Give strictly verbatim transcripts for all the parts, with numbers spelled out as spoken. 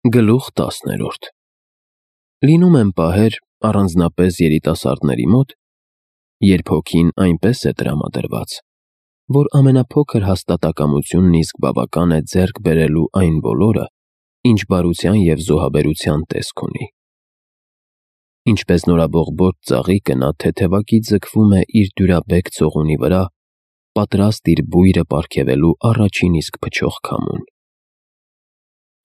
Գլուխ տասներորդ Լինում են պահեր, առանձնապես երիտասարդների մոտ, երբ հոգին այնպես է տրամադրված, որ ամենափոքր հաստատակամությունն իսկ բավական է ձեռք բերելու այն բոլորը, ինչ բարության և զոհաբերության տեսք ունի։ Ինչպես նորաբողբոջ ծաղիկը նա թեթևակի ձգվում է իր դյուրաբեկ ցողունի վրա, պատրաստ իր բույրը պարգևելու առաջին իսկ փչող քամուն։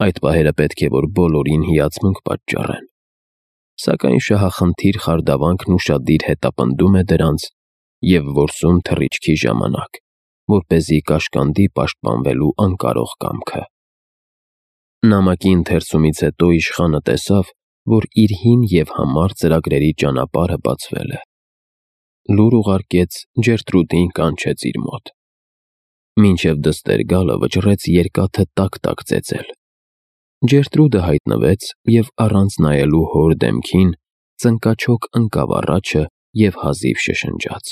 Այդ պահերը պետք է որ բոլորին հիացմունք պատճառեն, սակայն շահախնդիր խարդավանքն ուշադիր հետապնդում է դրանց և որսում թռիչքի ժամանակ, որպեսզի կաշկանդի պաշտպանվելու անկարող կամքը։ Նամակի ընթերցումից հետո իշխանը տեսավ, որ իր հին և համառ ծրագրերի ճանապարհը բացվել է։ Լուր ուղարկեց, Ջերտրուդին կանչեց իր մոտ։ Մինչև դստեր գալը վճռեց երկաթը տաք-տաք ծեծել։ Ջերտրուդը հայտնվեց և առանց նայելու հոր դեմքին ծնկաչոք ընկավ առաջը և հազիվ շշնջաց.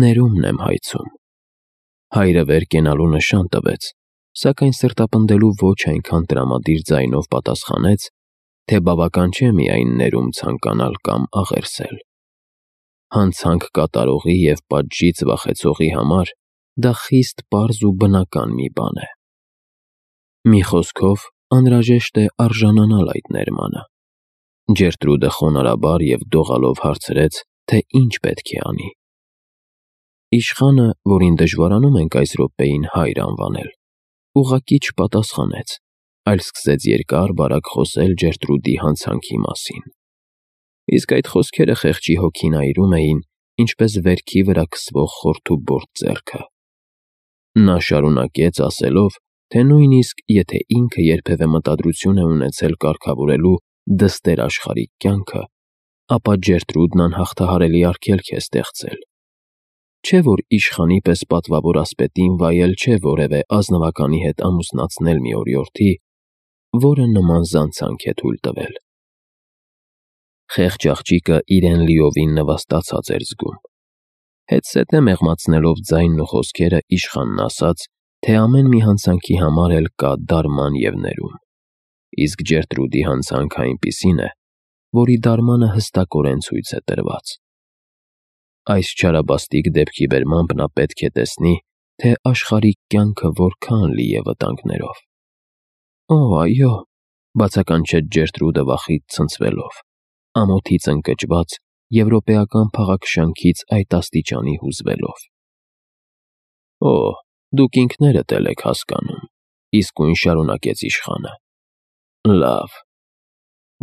«Ներումն եմ հայցում»։ Հայրը վեր կենալու նշան տվեց, սակայն սրտապնդելու ոչ այնքան տրամադիր ձայնով պատասխանեց, թե բավական չէ միայն ներում ցանկանալ կամ աղերսել։ Հանցանք կատարողի և պատժից վախեցողի համար դա խիստ պարզ ու բնական մի բան է։ Մի խոսքով, անհրաժեշտ է արժանանալ այդ ներմանը։ Ջերտրուդը խոնարհաբար և դողալով հարցրեց, թե ինչ պետք է անի։ Իշխանը, որին դժվարանում ենք այս րոպեին հայր անվանել, ուղղակի չպատասխանեց, այլ սկսեց երկար-բարակ խոսել Ջերտրուդի հանցանքի մասին։ Իսկ այդ խոսքերը խեղճի հոգին այրում էին, ինչպես վերքի վրա քսվող խորթուբորտ ձեռքը։ Նա շարունակեց ասելով, թե նույնիսկ եթե ինքը երբևէ մտադրություն է ունեցել կարգավորելու դստեր֊աշխարհիկ կյանքը, ապա Ջերտրուդն անհաղթահարելի արգելք է ստեղծել։ Չէ՞ որ իշխանի պես պատվավոր ասպետին վայել չէ որևէ ազնվականի հետ ամուսնացնել մի օրիորդի, որը նման զանցանք է թույլ տվել։ Խեղճ աղջիկը իրեն լիովին նվաստացած էր զգում։ Հետզհետե մեղմացնելով ձայնն ու խոսքերը իշխանն ասաց, թե ամեն մի հանցանքի համար էլ կա դարման և ներում, իսկ Ջերտրուդի հանցանքը այնպիսին է, որի դարմանը հստակորեն ցույց է տրված։ Այս չարաբաստիկ դեպքի բերմամբ նա պետք է տեսնի, թե աշխարհիկ կյանքը որքան լի է վտանգներով։ «Օ, այո», բացականչեց Ջերտրուդը վախից ցնցվելով, ամոթից ընկճված, եվրոպեական փաղաքշանքից այդ աստիճանի հուզվելով։ «Օ, դուք ինքներդ էլ եք հասկանում», իսկույն շարունակեց իշխանը։ «Լավ,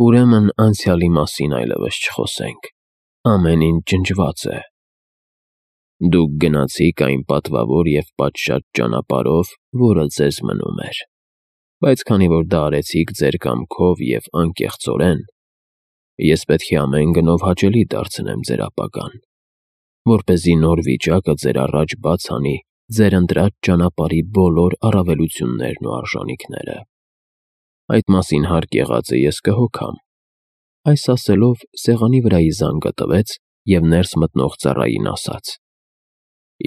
ուրեմն անցյալի մասին այլևս չխոսենք, ամեն ինչ ջնջված է։ Դուք գնացիք այն պատվավոր և պատշաճ ճանապարհով, որը ձեզ մնում էր, բայց քանի որ դա արեցիք ձեր կամքով և անկեղծորեն, ես պետք է ամեն գնով հաճելի դարձնեմ ձեր ապագան, որպեսզի նոր վիճակը ձեր առաջ բաց անի ձեր ընտրած ճանապարհի բոլոր առավելություններն ու արժանիքները։ Այդ մասին հարկ եղածը ես կհոգամ»։ Այս ասելով սեղանի վրայի զանգը տվեց և ներս մտնող ծառային ասաց.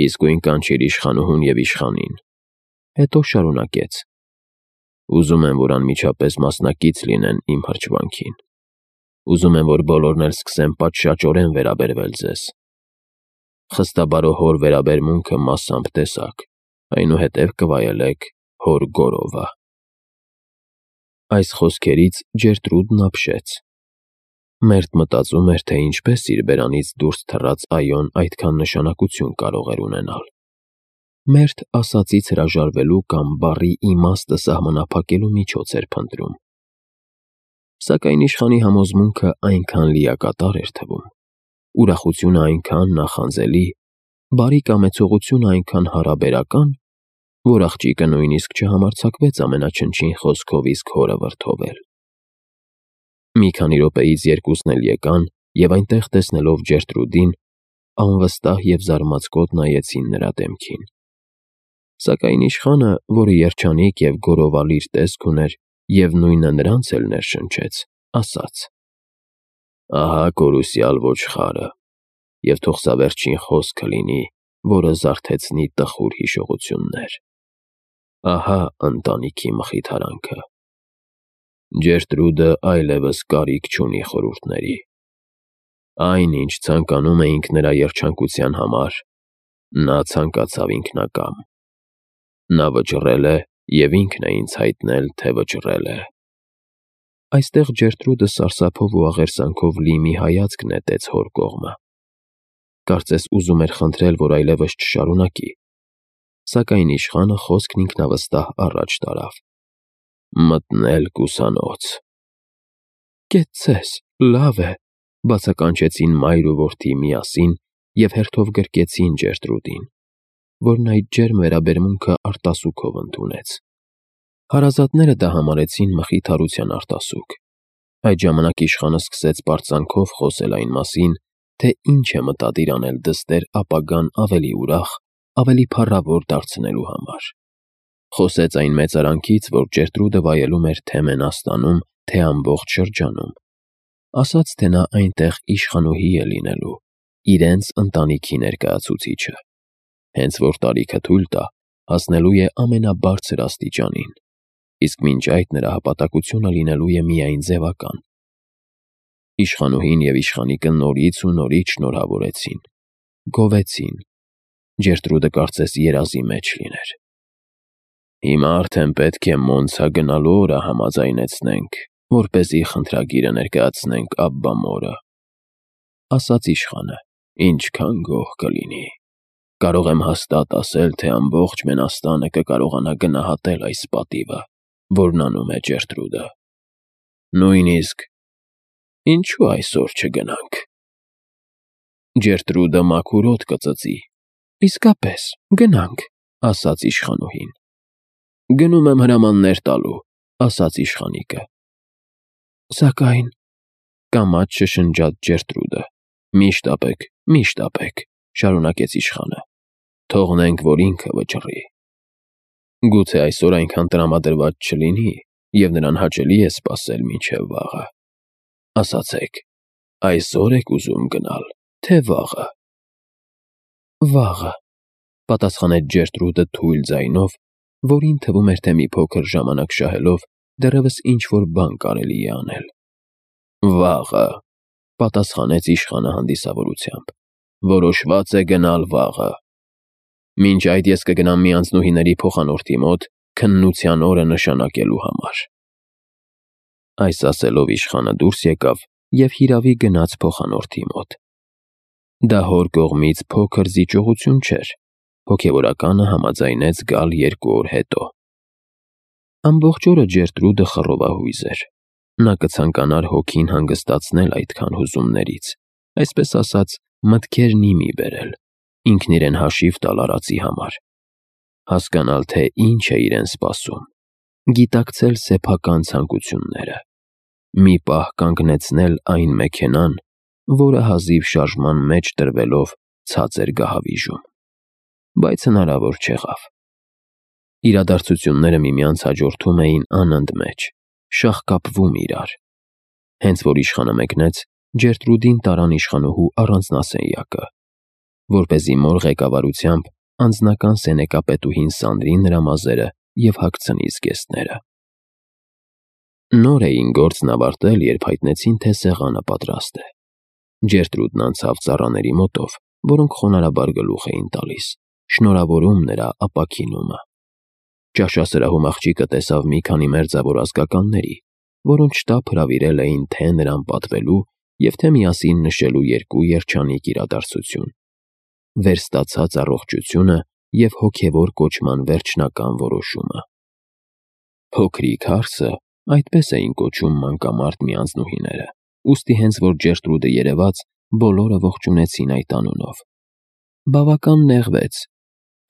«Իսկույն կանչիր իշխանուհուն և իշխանին»։ Հետո շարունակեց. «Ուզում եմ, որ անմիջապես մասնակից լինեն իմ հրճվանքին։ Ուզում եմ, որ բոլորն էլ սկսեն պատշաճորեն վերաբերվել ձեզ։ Խստաբարո հոր վերաբերմունքը մասամբ տեսաք, այնուհետև կվայելեք հոր գորովը»։ Այս խոսքերից Ջերտրուդն ապշեց։ Մերթ մտածում էր, թե ինչպես իր բերանից դուրս թռած «այո»-ն այդքան նշանակություն կարող էր ունենալ։ Մերթ ասածից հրաժարվելու կամ բառի իմաստը սահմանափակելու միջոց էր փնտրում։ Սակայն իշխանի համոզմունքը այնքան լիակատար էր թվում, ուրախությունը այնքան նախանձելի, բարի կամեցողությունը այնքան հարաբերական, որ աղջիկը նույնիսկ չհամարձակվեց ամենաչնչին խոսքով իսկ հորը վրդովել։ Մի քանի րոպեից երկուսն էլ եկան և այնտեղ տեսնելով Ջերտրուդին, անվստահ և զարմացկոտ նայեցին նրա դեմքին։ Սակայն իշխանը, որը երջանիկ և գորովալիր տեսք ուներ և նույնը նրանց էլ ներշնչեց, ասաց. «Ահա կորուսյալ ոչխարը, և թող սա վերջին խոսքը լինի, որը զարթեցնի տխուր հիշողություններ։ Ահա ընտանիքի մխիթարանքը»։ Ջերտրուդը այլևս կարիք չունի խորհուրդների։ Այն, ինչ ցանկանում էինք նրա երջանկության համար, նա ցանկացավ ինքնակամ։ Նա վճռել է և ինքն է ինձ հայտնել, թե վճռել է։ Այստեղ Ջերտրուդը սարսափով ու աղերսանքով լի մի հայացք նետեց հոր կողմը։ Կարծես ուզում էր խնդրել, որ այլևս չշարունակի, սակայն իշխանը խոսքն ինքնավստահ առաջ տարավ. «Մտնել կուսանոց»։ «Կետ ձեզ, լավ է», բացականչեցին մայր ու որդի միասին և հերթով գրկեցին Ջերտրուդին, որն այդ ջերմ վերաբերմունքը արտասուքով ընդունեց։ Հարազատները դա համարեցին մխիթարության արտասուք։ Այդ ժամանակ իշխանը սկսեց պարծանքով խոսել այն մասին, թե ինչ է մտադիր անել դստեր ապագան ավելի ուրախ, ավելի փառավոր դարձնելու համար։ Խոսեց այն մեծարանքից, որ Ջերտրուդը վայելում էր թե Մենաստանում, թե ամբողջ շրջանում։ Ասաց, թե նա այնտեղ իշխանուհի է լինելու, իրենց ընտանիքի ներկայացուցիչը, հենց որ տարիքը թույլ տա, հասնելու է ամենաբարձր աստիճանին, իսկ մինչ այդ նրա հպատակությունը լինելու է միայն ձևական։ Իշխանուհին և իշխանիկը նորից ու նորից շնորհավորեցին, գովեցին։ Ջերտրուդը կարծես երազի մեջ լիներ։ «Հիմա արդեն պետք է Մոնցա գնալու օրը համաձայնեցնենք, որպեսզի խնդրագիրը ներկայացնենք Աբբա մորը», ասաց իշխանը։ «Ինչքան գոհ կլինի։ Կարող եմ հաստատ ասել, թե ամբողջ Մենաստանը կկարողանա գնահատել այս պատիվը, որն անում է Ջերտրուդը։ Նույնիսկ ինչու այսօր չգնանք»։ Ջերտրուդը մաքուր օդ կծծի։ «Իսկապես, գնանք», ասաց իշխանուհին։ «Գնում եմ հրամաններ տալու», ասաց իշխանիկը։ «Սակայն…» կամաց շշնջաց Ջերտրուդը։ «Միշտ ապեք, միշտ ապեք», շարունակեց իշխանը։ «Թողնենք, որ ինքը վճռի։ Գուցե այսօր այնքան տրամադրված չլինի, և նրան հաճելի է սպասել մինչև վաղը։ Ասացեք, այսօր եք ուզում գնալ, թե վաղը»։ «Վաղը», պատասխանեց Ջերտրուդը թույլ ձայնով, որին թվում էր, թե մի փոքր ժամանակ շահելով դեռևս ինչ-որ բան կարելի է անել։ «Վաղը», պատասխանեց իշխանը հանդիսավորությամբ, «որոշված է գնալ վաղը։ Մինչ այդ ես կգնամ մի անձնուհիների փոխանորդի մոտ քննության օրը նշանակելու համար»։ Այս ասելով իշխանը դուրս եկավ և հիրավի գնաց փոխանորդի մոտ։ Դա հոր կողմից փոքր զիջողություն չէր, հոգևորականը համաձայնեց գալ երկու օր հետո։ Ամբողջ օրը Ջերտրուդը խռովահույզ էր։ Նա կցանկանար հոգին հանգստացնել այդքան հուզումներից, այսպես ասած, մտքերն ի մի բերել, ինքն իրեն հաշիվ տալ արածի համար, հասկանալ, թե ինչ է իրեն սպասում, գիտակցել սեփական ցանկությունները, մի պահ կանգնեցնել այն մեքենան, որը հազիվ շարժման մեջ տրվելով ցած էր գահավիժում։ Բայց հնարավոր չեղավ։ Իրադարձությունները միմյանց հաջորդում էին անընդմեջ, շաղկապվում իրար։ Հենց որ իշխանը մեկնեց, Ջերտրուդին տարան իշխանուհու առանձնասենյակը, որպեսզի մոր ղեկավարությամբ անձնական սենեկապետուհին սանրի նրա մազերը և հագցնի զգեստները։ Նոր էին գործն ավարտել, երբ հայտնեցին, թե սեղանը պատրաստ է։ Ջերտրուդն անցավ ծառաների մոտով, որոնք խոնարհաբար գլուխ էին տալիս, շնորհավորում նրա ապաքինումը։ Ճաշասրահում աղջիկը տեսավ մի քանի մերձավոր ազգականների, որոնց շտապ հրավիրել էին թե նրան պատվելու և թե միասին նշելու երկու երջանիկ իրադարձություն՝ վերստացած առողջությունը և հոգևոր կոչման վերջնական որոշումը։ Փոքրիկ հարսը, այդպես էին կոչում մանկամարդ մի անձնուհիները, ուստի հենց որ Ջերտրուդը երևաց, բոլորը ողջունեցին այդ անունով։ Բավական նեղվեց,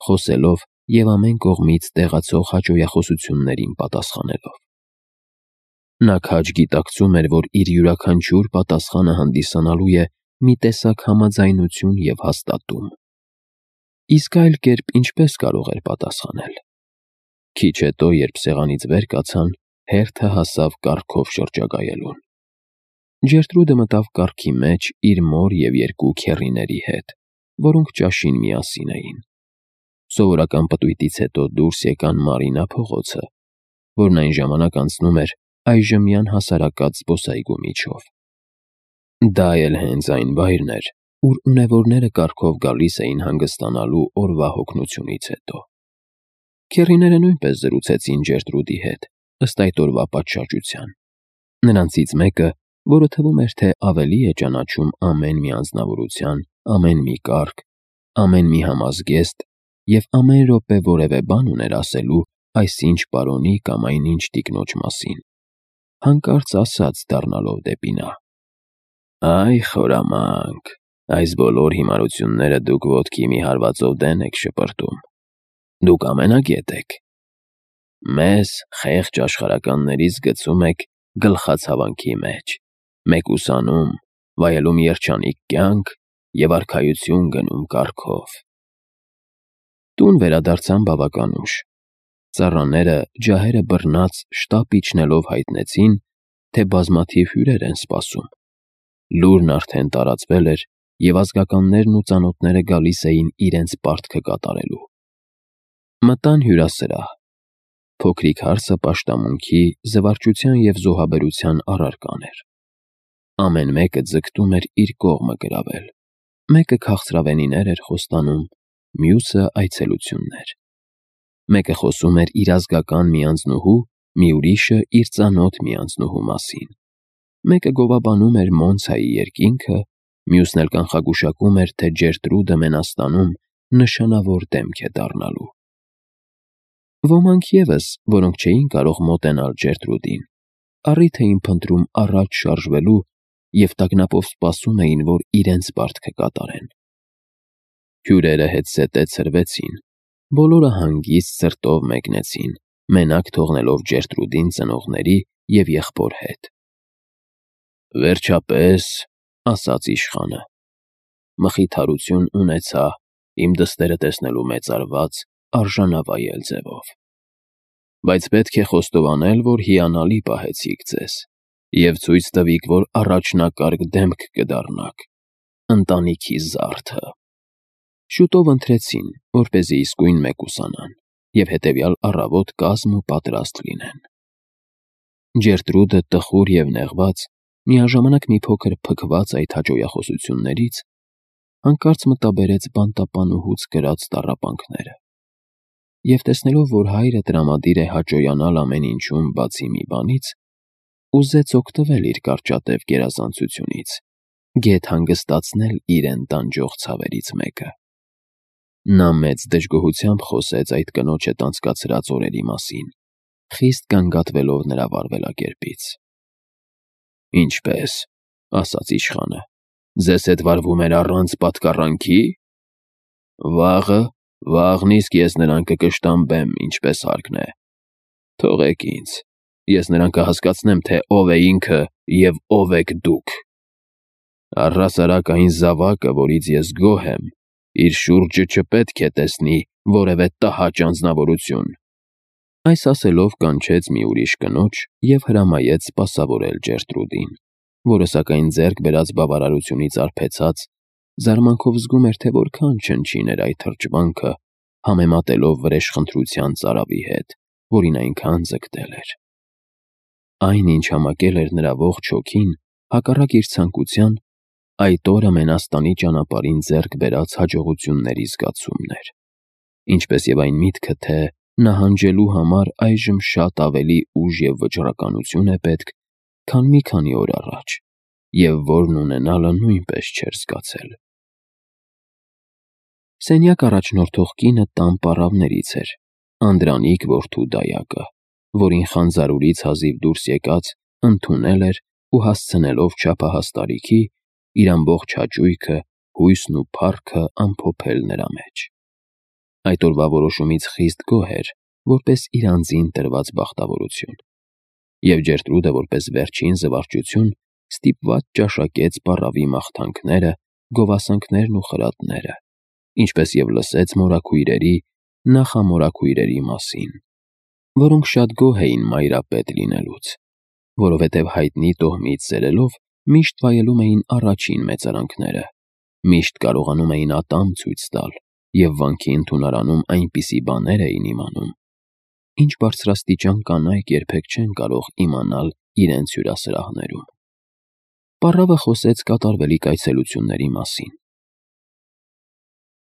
խոսելով և ամեն կողմից տեղացող հաճոյախոսություններին պատասխանելով։ Նա քաջ գիտակցում էր, որ իր յուրաքանչյուր պատասխանը հանդիսանալու է մի տեսակ համաձայնություն և հաստատում։ Իսկ այլ կերպ ինչպե՞ս կարող էր պատասխանել։ Քիչ հետո, երբ սեղանից վեր կացան, հերթը հասավ կառքով շրջագայելուն։ Ջերտրուդը մտավ կառքի մեջ իր մոր և երկու քեռիների հետ, որոնք ճաշին միասին էին։ Սովորական պտույտից հետո դուրս եկան Մարինա փողոցը, որն այն ժամանակ անցնում էր այժմյան հասարակած զբոսայգու միջով։ Դա էլ հենց այն վայրն էր, ուր ունևորները կառքով գալիս էին հանգստանալու օրվա հոգնությունից հետո։ Քեռիները նույնպես զրուցեցին Ջերտրուդի հետ, ըստ այդ օրվա պատշաճության։ Նրանցից մեկը, որը թվում էր, թե ավելի է ճանաչում ամեն մի անձնավորության, ամեն մի կարգ, ամեն մի համազգեստ և ամեն րոպե որևէ բան ուներ ասելու այսինչ պարոնի կամ այնինչ տիկնոջ մասին, հանկարծ ասաց դառնալով դեպի նա. «Այ խորամանկ, այս բոլոր հիմարությունները դուք ոտքի մի հարվածով դեն եք շպրտում։ Դուք ամենագետ եք։ Մեզ, խեղճ աշխարհականներից գցում եք գլխացավանքի մեջ, մեկուսանում, վայելում երջանիկ կյանք և արքայություն գնում կառքով»։ Տուն վերադարձան բավական ուշ։ Ծառաները, ջահերը բռնած, շտապ իջնելով հայտնեցին, թե բազմաթիվ հյուրեր են սպասում։ Լուրն արդեն տարածվել էր, և ազգականներն ու ծանոթները գալիս էին իրենց պարտքը կատարելու։ Մտան հյուրասրահ։ Փոքրիկ հարսը պաշտամունքի, զվարճության և զոհաբերության առարկան էր։ Ամեն մեկը ձգտում էր իր կողմը գրավել։ Մեկը քաղցրավենիներ էր խոստանում, մյուսը այցելություններ։ Մեկը խոսում էր իր ազգական մի անձնուհու, մի ուրիշը իր ծանոթ մի անձնուհու մասին։ Մեկը գովաբանում էր Մոնցայի երկինքը, մյուսն էլ կանխագուշակում էր, թե Ջերտրուդը Մենաստանում նշանավոր դեմք է դառնալու։ Ոմանք ևս, որոնք չէին կարող մոտենալ Ջերտրուդին, առիթ էին փնտրում առաջ շարժվելու և տագնապով սպասում էին, որ իրենց պարտքը կատարեն։ Հյուրերը հետզհետե ցրվեցին, բոլորը հանգիստ սրտով մեկնեցին, մենակ թողնելով Ջերտրուդին ծնողների և եղբոր հետ։ «Վերջապես, — ասաց իշխանը, — մխիթարություն ունեցա իմ դստերը տեսնելու մեծարված, արժանավայել ձևով։ Բայց պետք է խոստովանել, որ հիանալի պահեցիք ձեզ և ցույց տվիք, որ առաջնակարգ դեմք կդառնաք, ընտանիքի զարդը»։ Շուտով ընթրեցին, որպեսզի իսկույն մեկուսանան և հետևյալ առավոտ կազմ ու պատրաստ լինեն։ Ջերտրուդը, տխուր և նեղված, միաժամանակ մի փոքր փքված այդ հաճոյախոսություններից, հանկարծ մտաբերեց բանտապանուհուց կրած տառապանքները և, տեսնելով, որ հայրը տրամադիր է հաճոյանալ ամեն ինչում բացի մի բանից, ուզեց օգտվել իր կարճատև գերազանցությունից, գեթ հանգստացնել իրեն տանջող ցավերից մեկը։ Նա մեծ դժգոհությամբ խոսեց այդ կնոջ հետ անցկացրած օրերի մասին, խիստ գանգատվելով նրա վարվելակերպից։ «Ինչպե՞ս, — ասաց իշխանը, — ձեզ հետ վարվում էր առանց պատկառանքի։ Վաղը, վաղն իսկ ես նրան կկշտամբեմ, ինչպես հարկն է։ Թողեք ինձ, ես նրան կհասկացնեմ, թե ով է ինքը և ով եք դուք։ Առհասարակ այն զավակը, որից ես գոհ եմ, իր շուրջը չպետք է տեսնի որևէ տհաճ անձնավորություն»։ Այս ասելով կանչեց մի ուրիշ կնոջ և հրամայեց սպասավորել Ջերտրուդին, որը, սակայն, ձեռք բերած բավարարությունից արբեցած, զարմանքով զգում էր, թե որքան չնչին էր այդ թրջվանքը, համեմատելով վրեժխնդրության ծարավի հետ, որին այնքան ձգտել էր։ Այն, ինչ համակել էր նրա ողջ հոգին, հակառակ իր ցանկության, այդ օրը Մենաստանի ճանապարհին ձեռք բերած հաջողությունների զգացումն էր, ինչպես և այն միտքը, թե նահանջելու համար այժմ շատ ավելի ուժ և վճռականություն է պետք, քան մի քանի օր առաջ, և որն ունենալը նույնպես չէր զգացել։ Սենյակ առաջնորդող կինը տան պառավներից էր, Անդրանիկ որդու դայակը, որին խանձարուրից հազիվ դուրս եկած ընդունել էր ու հասցնելով չափահաս տարիքի, իր ամբողջ հաճույքը, հույսն ու փառքը ամփոփել նրա մեջ։ Այդ օրվա որոշումից խիստ գոհ էր, որպես իր անձին տրված բախտավորություն, և Ջերտրուդը, որպես վերջին զվարճություն, ստիպված ճաշակեց պառավի մաղթանքները, գովասանքներն ու խրատները, ինչպես և լսեց մորաքույրերի, նախամորաքույրերի մասին, որոնք շատ գոհ էին մայրապետ լինելուց, որովհետև հայտնի տոհմից սերելով միշտ վայելում էին առաջին մեծարանքները, միշտ կարողանում էին ատամ ցույց տալ և վանքի ընդունարանում այնպիսի բաներ էին իմանում, ինչ բարձրաստիճան կանայք երբեք չեն կարող իմանալ իրենց հյուրասրահներում։ Պառավը խոսեց կատարվելիք այցելությունների մասին։